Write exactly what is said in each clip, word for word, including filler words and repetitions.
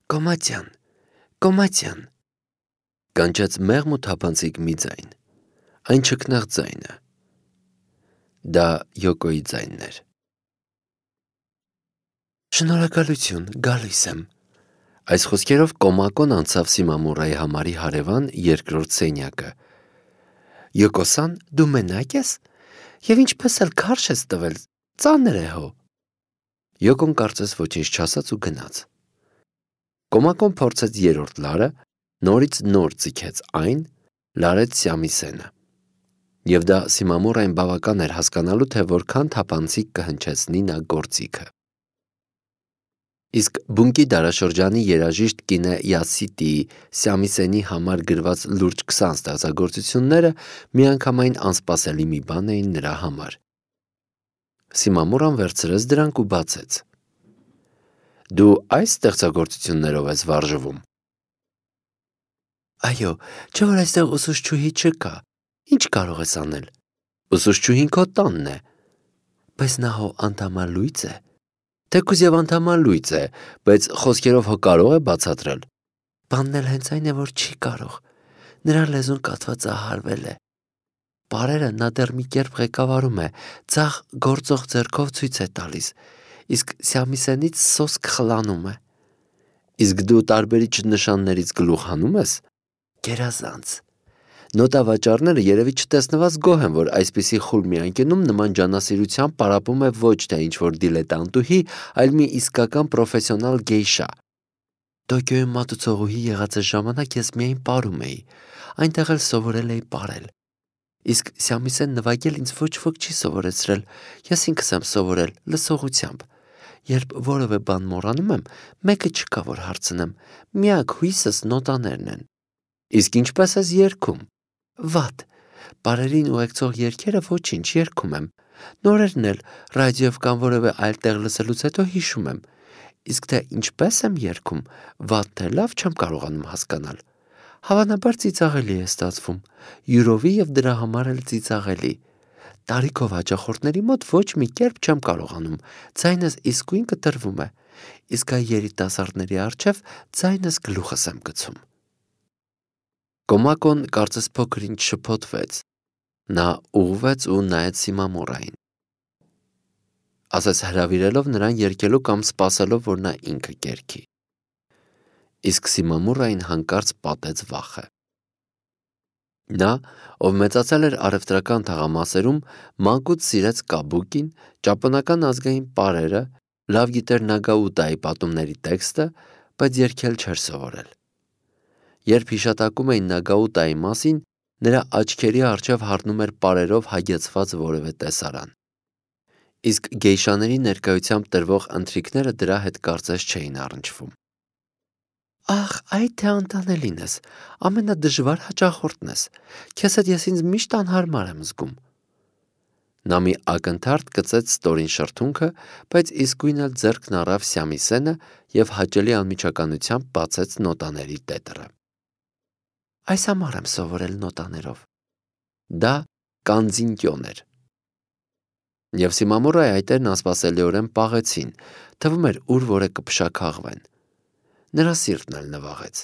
Կոմատյան, կոմատյան, կանչեց մեղմ ու թափանցիկ մի ձայն, այն չքնաղ ձայնը, դա Յոկոյի ձայնն էր։ Շնորհակալություն, գալիս եմ։ Այս խոսքերով Կոմակոն անցավ Սիմամուրայի համարի հարևան երկրորդ սենյակը։ Յոկոսան, դու մենակ ես, և ինչպես էլ քարշ ես տվել, ծանր է հո։ Յոկոն կարծես ոչինչ չասաց ու գնաց։ Կոմակոն փորձեց երրորդ լարը, նորից նոր ձգեց այն, լարեց Սյամիսենը։ Եվ դա Սիմամուրային բավական էր հասկանալու, թե որքան թափանցիկ կհնչեցնի նա գործիքը։ Իսկ բունկի դարաշրջանի երաժիշտ կինը Յասիտիի Սյամիսենի համար գրված լուրջ քսան ստեղծագործությունները միանգամայն անսպասելի մի բան էին նրա համար։ Սիմամուրան վերցրեց դրանք ու բացեց։ Դու այս ստեղծագործություններով ես վարժվում։ Այո, չէ՞ որ այստեղ ուսուցչուհի չկա, ինչ կարող ես անել։ Ուսուցչուհին քո տանն է։ Բայց նա հո անդամալույծ է։ Թեկուզ և անդամալույծ է, բայց խոսքերով հո կարող է բացատրել։ Բանն էլ հենց այն է, որ չի կարող։ Նրա լեզուն կաթվածահարվել է։ Պարերը նա դեռ մի կերպ ղեկավարում է, ձախ գործող ձեռքով ցույց է տալիս, իսկ Սյամիսենից սոսկ խլանում է։ Իսկ դու տարբերիչ նշաններից գլուխ հանում ես։ Գերազանց։ Նոտավաճառները երևի չտեսնված գոհ են, որ այսպիսի խուլ մի անկյունում նման ջանասիրությամբ պարապում է ոչ թե ինչ-որ դիլետանտուհի, այլ մի իսկական պրոֆեսիոնալ գեյշա։ Տոկիոյում մատուցողուհի եղածս ժամանակ ես միայն պարում էի, այնտեղ էլ սովորել էի պարել։ Իսկ Սյամիսեն նվագել ինձ ոչ ոք չի սովորեցրել, ես ինքս եմ սովորել լսողությամբ։ Երբ որևէ բան մոռանում եմ, մեկը չկա, որ հարցնեմ, միակ հույսս նոտաներն են։ Իսկ ինչպես ես երգում։ Վատ, պարերին ուղեկցող երգերը ոչինչ երգում եմ, նորերն էլ ռադիոյով կամ որևէ այլ տեղ լսելուց հետո հիշում եմ, իսկ թե ինչպես եմ երգում, վատ թե լավ չեմ կարողանում հասկանալ։ Հավանաբար ծիծաղելի է ստացվում, յուրովի և դրա համար էլ ծիծաղելի։ Տարիքով հաճախորդների մոտ ոչ մի կերպ չեմ կարողանում, ձայնս իսկույն կտրվում է, իսկ այ երիտասարդների առջև ձայնս գլուխս եմ գցում։ Կոմակոն կարծես փոքր-ինչ շփոթվեց, նա ուղղվեց ու նայեց Սիմամուրային, ասես հրավիրելով նրան երգելու կամ սպասելով, որ նա ինքը երգի։ Իսկ Սիմամուրային հանկարծ պատեց վախը։ Նա, ով մեծացել էր առևտրական թաղամասերում, մանկուց սիրեց կաբուկին, ճապոնական ազգային պարերը, լավ գիտեր Նագաուտայի պատումների տեքստը, բայց երգել չէր սովորել։ Երբ հիշատակում էին Նագաուտայի մասին, նրա աչքերի առջև հառնում էր պարերով հագեցված որևէ տեսարան։ Իսկ գեյշաների ներկայությամբ տրվող ընթրիքները դրա հետ կարծես չէին առնչվում։ Ախ, այ թե անտանելին ես, ամենադժվար հաճախորդն ես, քեզ հետ ես ինձ միշտ անհարմար եմ զգում։ Նա մի ակնթարթ կծեց ստորին շրթունքը, բայց իսկույն էլ ձեռքն առավ Սյամիսենը և հաճելի անմիջականությամբ բացեց նոտաների տետրը։ Այս համար եմ սովորել նոտաներով։ Դա կանձինկյոն էր։ Եվ Սիմամուրայի այտերն անսպասելիորեն պաղեցին, թվում էր ուր որ է կփշաքաղվեն։ Նրա սիրտն էլ նվաղեց։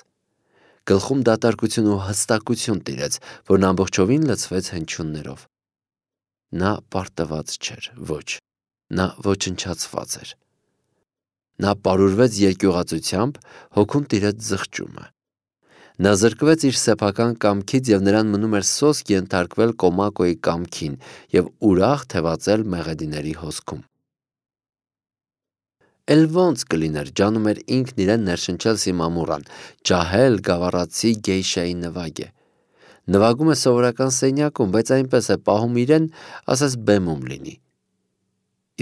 Գլխում դատարկություն ու հստակություն տիրեց, որն ամբողջովին լցվեց հնչյուններով։ Նա պարտված չէր, ոչ, նա ոչնչացված էր։ Նա պարուրվեց երկյուղածությամբ, հոգում տիրեց զղջումը։ Նա զրկվեց իր սեփական կամքից և նրան մնում էր սոսկ ենթարկվել Կոմակոյի կամքին և ուրախ թևածել մեղեդիների հոսքում։ Էլ ոնց կլիներ, ջանում էր ինքն իրեն ներշնչել Սիմամուրան, ջահել գավառացի գեյշայի նվագ է։ Նվագում է սովորական սենյակում, բայց այնպես է պահում իրեն, ասես բեմում լինի։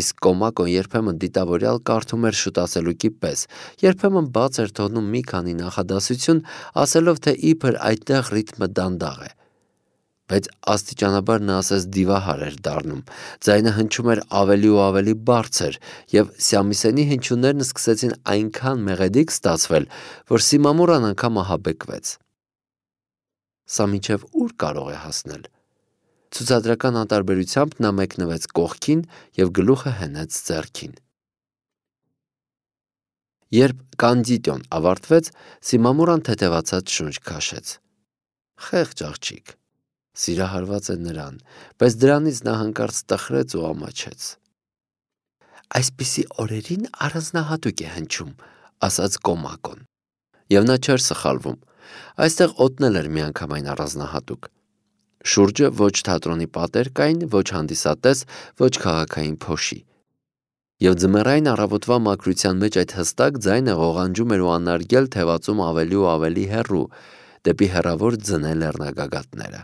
Իսկ Կոմակոն երբեմն դիտավորյալ կարդում էր շուտասելուկի պես, երբեմն բաց էր թողնում մի քանի նախադասություն, ասելով, թե իբր այդտեղ ռիթմը դանդաղ է։ Բայց աստիճանաբար նա ասես դիվահար էր դառնում, ձայնը հնչում էր ավելի ու ավելի բարձր, և Սյամիսենի հնչյուններն սկսեցին այնքան մեղեդիկ ստացվել, որ Սիմամուրան անգամ ահաբեկվեց։ Սա մինչև ուր կարող է հասնել։ Ցուցադրական անտարբերությամբ նա մեկնվեց կողքին և գլուխը հենեց ձեռքին։ Երբ կանդիդոն ավարտվեց, Սիմամուրան թեթևացած շունչ քաշեց։ Խեղճ աղջիկ, սիրահարված է նրան, բայց դրանից նա հանկարծ տխրեց ու ամաչեց։ Այսպիսի օրերին առանձնահատուկ է հնչում, ասաց Կոմակոն։ Եվ նա չէր սխալվում։ Այստեղ օդնել էր միանգամայն առանձնահատուկ։ Շուրջը ոչ թատրոնի պատեր կային, ոչ հանդիսատես, ոչ քաղաքային փոշի։ Եվ ձմեռային առավոտվա մաքրության մեջ այդ հստակ ձայնը ղողանջում էր ու անարգել թևածում ավելի ու ավելի հեռու, դեպի հեռավոր ձնե լեռնագագաթները։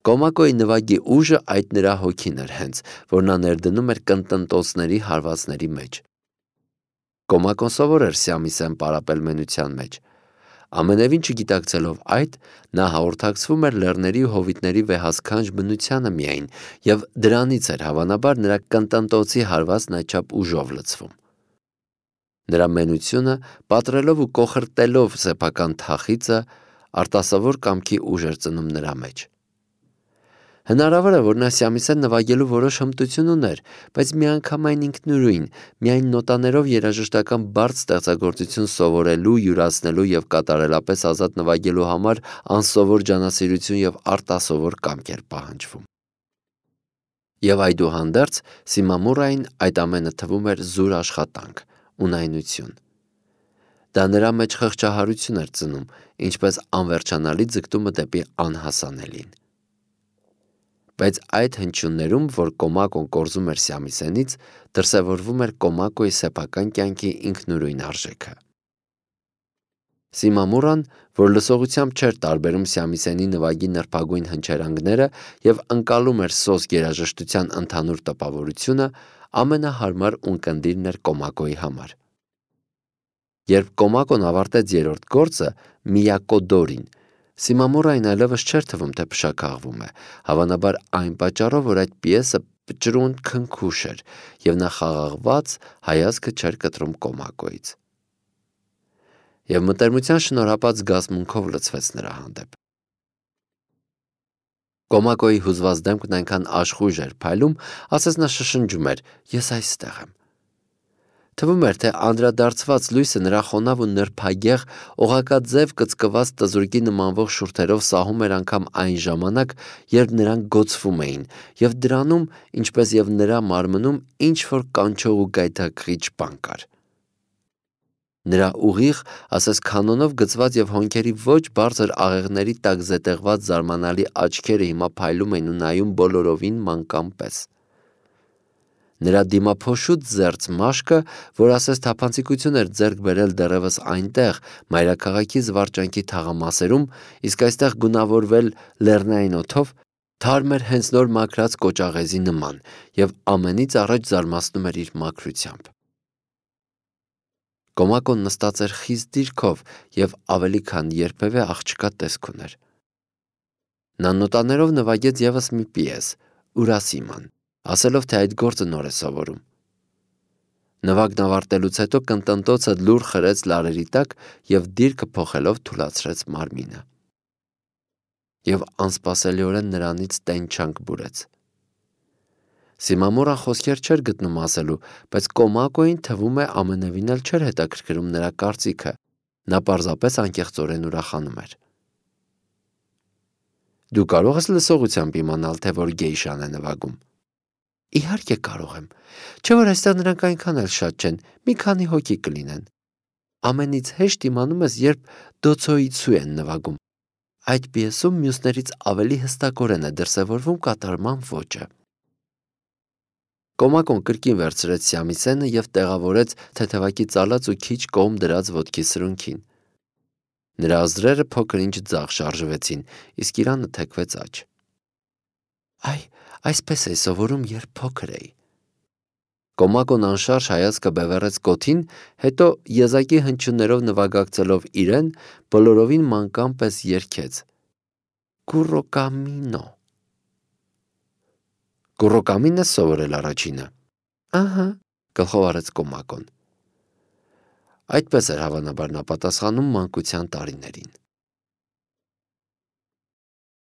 Կոմակոյի նվագի ուժը այդ նրա հոգին էր հենց, որ նա ներդնում էր կնտնտոցների հարվածների մեջ։ Կոմակոն սովոր էր Սյամիսեն պարապել մենության մեջ։ Ամենևին չգիտակցելով այդ, նա հաղորդակցվում էր լեռների ու հովիտների վեհասքանչ բնությանը միայն, եւ դրանից էր հավանաբար նրա կնտնտոցի հարվածն այդչափ ուժով լցվում։ Նրա մենությունը, պատրելով ու կոխրտելով սեփական թախիծը, արտասովոր կամքի ուժ էր ծնում նրա մեջ։ Հնարավոր է, որ նա Սյամիսեն նվագելու որոշ հմտություն ուներ, բայց միանգամայն ինքնուրույն, միայն նոտաներով երաժշտական բարդ ստեղծագործություն սովորելու, յուրացնելու եւ կատարելապես ազատ նվագելու համար անսովոր ջանասիրություն եւ արտասովոր կամք էր պահանջվում։ Եվ այդուհանդերձ Սիմամուրային այդ ամենը թվում էր զուր աշխատանք, ունայնություն։ Դա նրա մեջ խղճահարություն էր ծնում, ինչպես անվերջանալի ձգտումը դեպի անհասանելին։ Բայց այդ հնչյուններում, որ Կոմակոն կորզում էր Սյամիսենից, դրսևորվում էր Կոմակոյի սեփական կյանքի ինքնուրույն արժեքը։ Սիմամուրան, որ լսողությամբ չէր տարբերում Սյամիսենի նվագի նրբագույն հնչերանգները եւ ընկալում էր սոսկ երաժշտության ընդհանուր տպավորությունը, ամենահարմար ունկնդիրն էր Կոմակոյի համար։ Երբ Կոմակոն ավարտեց երրորդ գործը՝ Միակոդորին, Սիմամուրային այլևս չէր թվում, թե փշաքաղվում է, հավանաբար այն պատճառով, որ այդ պիեսը պճրուն քնքուշ էր, եւ նա խաղաղված հայացքը չէր կտրում Կոմակոյից։ Եվ մտերմության շնորհապատ զգացմունքով լցվեց նրա հանդեպ։ Կոմակոյի հուզված դեմքն այնքան աշխույժ էր փայլում, ասես նա շշնջում էր. «Ես այստեղ եմ»։ Թվում էր, թե անդրադարձված լույսը նրա խոնավ ու նրբագեղ, օղակաձև կծկված տզուրկի նմանվող շուրթերով սահում էր անգամ այն ժամանակ, երբ նրանք գոցվում էին, եւ դրանում, ինչպես եւ նրա մարմնում, ինչ-որ կանչող ու գայթակղիչ բան կար։ Նրա ուղիղ, ասես քանոնով գծված եւ հոնքերի ոչ բարձր աղեղների տակ զետեղված զարմանալի աչքերը հիմա փայլում էին ու նայում բոլորովին մանկան պես։ Նրա դիմափոշուտ զերծ մաշկը, որ ասես թափանցիկություն էր ձեռք բերել դեռևս այնտեղ, մայրաքաղաքի զվարճանքի թաղամասերում, իսկ այստեղ գունավորվել լեռնային օդով, թարմ էր հենց նոր մաքրած կոճաղեզի նման եւ ամենից առաջ զարմացնում էր իր մաքրությամբ։ Կոմակոն նստած էր խիստ դիրքով եւ ավելի քան երբևէ աղջկա տեսք ուներ։ Նա նոտաներով նվագեց եւս մի պիես՝ Ուրասիման, ասելով, թե այդ գործը նոր է սովորում։ Նվագն ավարտելուց հետո կնտնտոցը լուր խրեց լարերի տակ եւ դիրքը փոխելով թուլացրեց մարմինը։ Եվ անսպասելիորեն նրանից տենչանք բուրեց։ Սիմամուրան խոսքեր չէր գտնում ասելու, բայց Կոմակոյին թվում է ամենևին էլ չէր հետաքրքրում նրա կարծիքը, նա պարզապես անկեղծորեն ուրախանում էր։ Դու կարող ես լսողությամբ իմանալ, թե որ գեյշան է նվագում։ Իհարկե կարող եմ, չէ՞ որ այստեղ նրանք այնքան էլ շատ չեն, մի քանի հոգի կլինեն։ Ամենից հեշտ իմանում ես, երբ դոցոիցու են նվագում։ Այդ պիեսում մյուսներից ավելի հստակորեն է դրսևորվում կատարման ոճը։ Կոմակոն կրկին վերցրեց Սյամիսենը եւ տեղավորեց թեթևակի ծալած ու քիչ կողմ դրած ոտքի սրունքին։ Նրա ազդրերը փոքր-ինչ ձախ շարժվեցին, իսկ իրանը թեքվեց աջ։ Այ, այսպես էի սովորում, երբ փոքր էի։ Կոմակոն անշարժ հայացքը բևեռեց կոթին, հետո եզակի հնչյուններով նվագակցելով իրեն, բոլորովին մանկան պես երգեց. Կուրոկամինո։ Կուրոկամին ես սովորել առաջինը։ Ահա, գլխով արեց Կոմակոն։ Այդպես էր հավանաբար նա պատասխանում մանկության տարիներին։